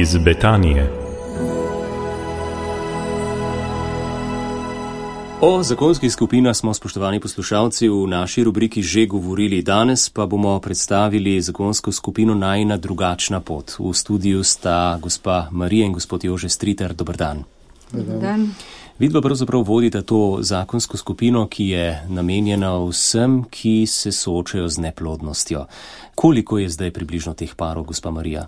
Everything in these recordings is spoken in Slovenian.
Iz Betanije. O zakonskih skupinah smo, spoštovani poslušalci, v naši rubriki že govorili. Danes pa bomo predstavili zakonsko skupino Najina drugačna pot. V studiu sta gospa Marija in gospod Jože Stritar. Dober dan. Dober dan. Vidva pravzaprav vodita to zakonsko skupino, ki je namenjena vsem, ki se soočajo z neplodnostjo. Koliko je zdaj približno teh parov, gospa Marija?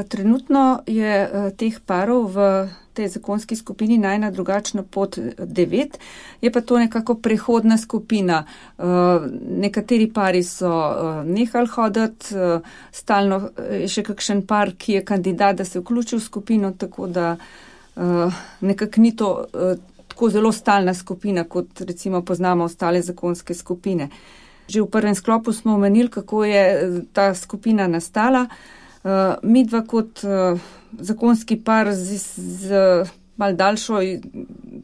Trenutno je teh parov v tej zakonski skupini Najina drugačna pot 9, je pa to nekako prehodna skupina. Nekateri pari so nehali hoditi, stalno je še kakšen par, ki je kandidat, da se vključi v skupino, tako da nekako ni to tako zelo stalna skupina, kot recimo poznamo ostale zakonske skupine. Že v prvem sklopu smo omenili, kako je ta skupina nastala. Midva kot zakonski par z malo daljšo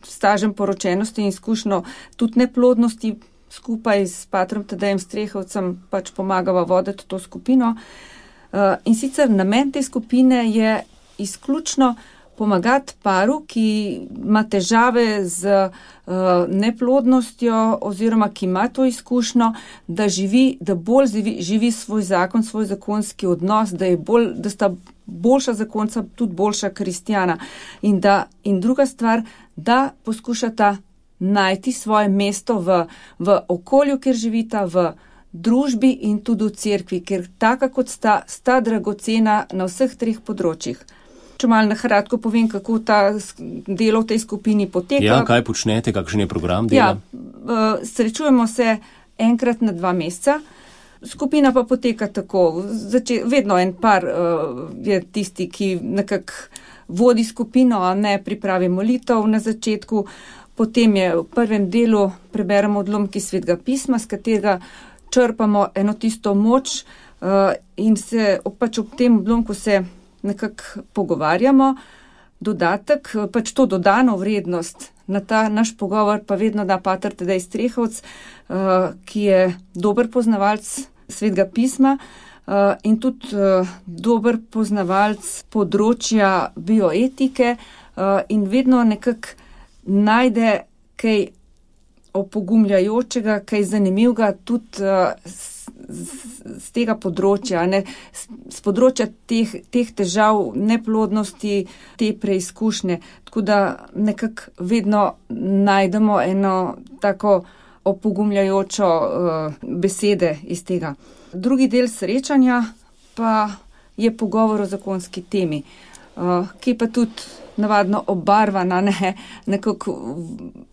stažem poročenosti in izkušnjo tudi neplodnosti skupaj s patrom Tadejem Strehovcem pač pomagava voditi to skupino. In sicer namen te skupine je izključno pomagati paru, ki ima težave z neplodnostjo oziroma ki ima to izkušnjo, da bolj živi svoj zakon, svoj zakonski odnos, da sta boljša zakonca, tudi boljša kristjana. In druga stvar, da poskušata najti svoje mesto v okolju, kjer živita, v družbi in tudi v cerkvi, ker taka kot sta dragocena na vseh treh področjih. Če malo na kratko povem, kako ta delo v tej skupini poteka. Ja, kaj počnete, kakšen je program dela? Ja, srečujemo se enkrat na 2 meseca. Skupina pa poteka tako. Vedno en par je tisti, ki nekako vodi skupino, a ne pripravi molitev na začetku. Potem je v prvem delu preberemo odlomki Svetega pisma, s katerega črpamo eno tisto moč in se pač ob tem odlomku se nekako pogovarjamo. Dodatek, pač to dodano vrednost na ta naš pogovor pa vedno da pater Tadej Strehovc, ki je dober poznavalec Svetega pisma in tudi dober poznavalec področja bioetike in vedno nekako najde kaj opogumljajočega, kaj zanimivega tudi z tega področja, z področja teh težav, neplodnosti, te preizkušnje. Tako da nekako vedno najdemo eno tako opogumljajočo besede iz tega. Drugi del srečanja pa je pogovor o zakonski temi, ki pa tudi navadno obarvana, nekako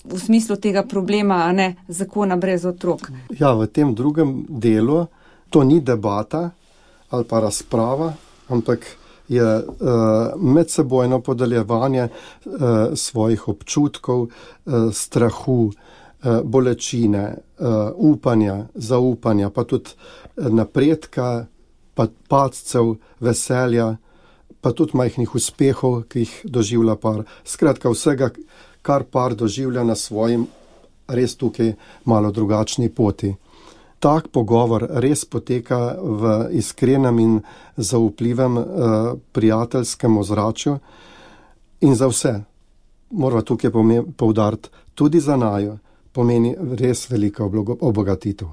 v smislu tega problema, a ne zakona brez otrok. Ja, v tem drugem delu to ni debata ali pa razprava, ampak je medsebojno podeljevanje svojih občutkov, strahu, bolečine, upanja, zaupanja, pa tudi napredka, pa padcev, veselja, pa tudi majhnih uspehov, ki jih doživlja par. Skratka, vsega, kar par doživlja na svojim res tukaj malo drugačni poti. Tak pogovor res poteka v iskrenem in zaupljivem prijateljskem ozračju in za vse, moramo tukaj poudariti, tudi za naju, pomeni res velika obogatitev.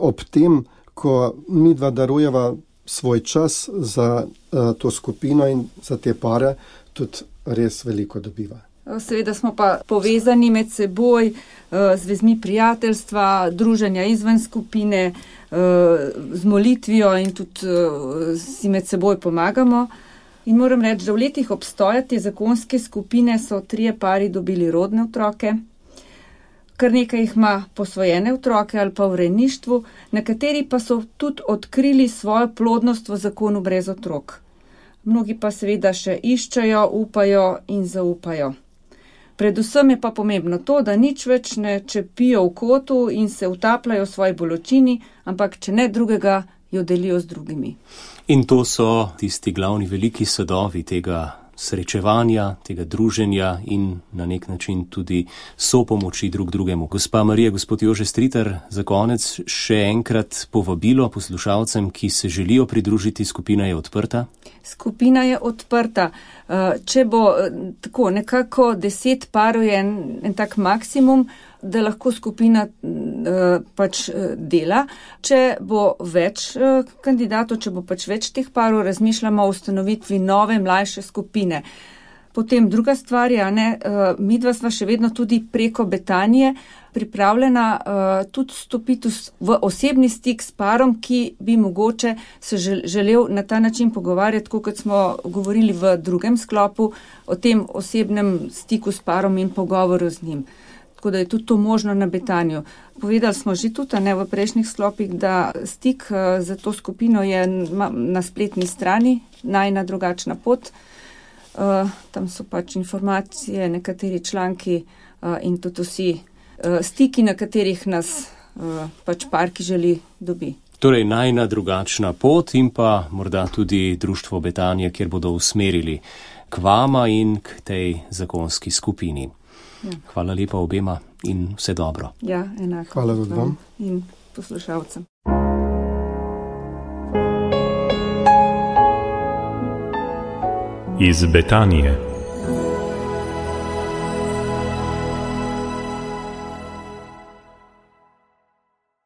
Ob tem, ko midva darujeva svoj čas za to skupino in za te pare, tudi res veliko dobiva. Seveda smo pa povezani med seboj z vezmi prijateljstva, druženja izven skupine, z molitvijo in tudi si med seboj pomagamo. In moram reči, da v letih obstoja te zakonske skupine so 3 pari dobili rodne otroke, kar nekaj jih ima posvojene otroke ali pa v rejništvu, nekateri pa so tudi odkrili svojo plodnost v zakonu brez otrok. Mnogi pa seveda še iščejo, upajo in zaupajo. Predvsem je pa pomembno to, da nič več ne čepijo v kotu in se utapljajo v svoji bolečini, ampak če ne drugega, jo delijo z drugimi. In to so tisti glavni veliki sadovi tega srečevanja, tega druženja in na nek način tudi sopomoči drug drugemu. Gospa Marija, gospod Jože Stritar, za konec še enkrat povabilo poslušalcem, ki se želijo pridružiti, skupina je odprta. Skupina je odprta. Če bo tako nekako 10 parov je en tak maksimum, da lahko skupina pač dela. Če bo več kandidatov, če bo pač več teh parov, razmišljamo o ustanovitvi nove, mlajše skupine. Potem druga stvar je, midva sva še vedno tudi preko Betanije pripravljena tudi stopiti v osebni stik s parom, ki bi mogoče se želel na ta način pogovarjati, kot smo govorili v drugem sklopu, o tem osebnem stiku s parom in pogovoru z njim. Tako da je tudi to možno na Betaniju. Povedali smo že tudi v prejšnjih sklopih, da stik za to skupino je na spletni strani Najina drugačna pot. Tam so pač informacije, nekateri članki in tudi vsi stiki, na katerih nas pač par, ki želi, dobi. Torej Najina drugačna pot in pa morda tudi Društvo Betanija, kjer bodo usmerili k vama in k tej zakonski skupini. Ja. Hvala lepa obema in vse dobro. Ja, enako. Hvala vam in poslušalcem. Iz Betanije.